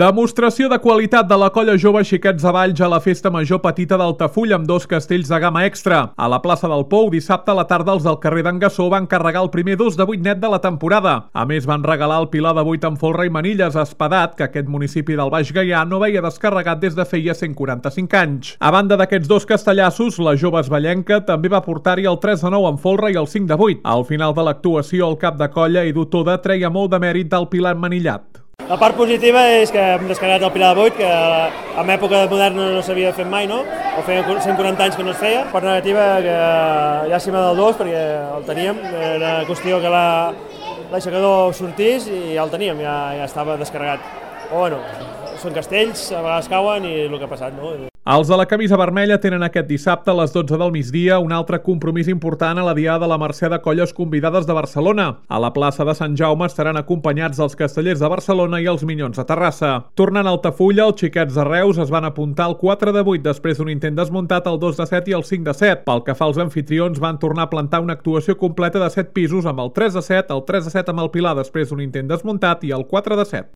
Demostració de qualitat de la colla jove Xiquets de Valls a la Festa Major Petita d'Altafulla amb 2 castells de gamma extra. A la plaça del Pou, dissabte a la tarda els del carrer d'en Gassó van carregar el primer 2 de 8 net de la temporada. A més, van regalar el pilar de 8 amb folre i manilles a Espadat, que aquest municipi del Baix Gaià no veia descarregat des de feia 145 anys. A banda d'aquests 2 castellassos, la jove esvallenca també va portar-hi el 3 de 9 amb folre i el 5 de 8. Al final de l'actuació, el cap de colla, Edu Toda, treia molt de mèrit del pilar manillat. La part positiva és que hem descarregat el pilar de 8, que en època moderna no s'havia fet mai, no? O feia 140 anys que no es feia. Part negativa que ja s'hi va del 2 perquè el teníem, era qüestió que l'aixecador sortís i ja el teníem, ja estava descarregat. Però bueno, són castells, a vegades cauen i el que ha passat, no? Els de la camisa vermella tenen aquest dissabte a les 12 del migdia un altre compromís important a la Diada de la Mercè de Colles Convidades de Barcelona. A la plaça de Sant Jaume estaran acompanyats dels Castellers de Barcelona i els Minyons de Terrassa. Tornant a Altafulla, els Xiquets de Reus es van apuntar al 4 de 8 després d'un intent desmuntat al 2 de 7 i el 5 de 7. Pel que fa als anfitrions, van tornar a plantar una actuació completa de 7 pisos amb el 3 de 7, el 3 de 7 amb el pilar després d'un intent desmuntat i el 4 de 7.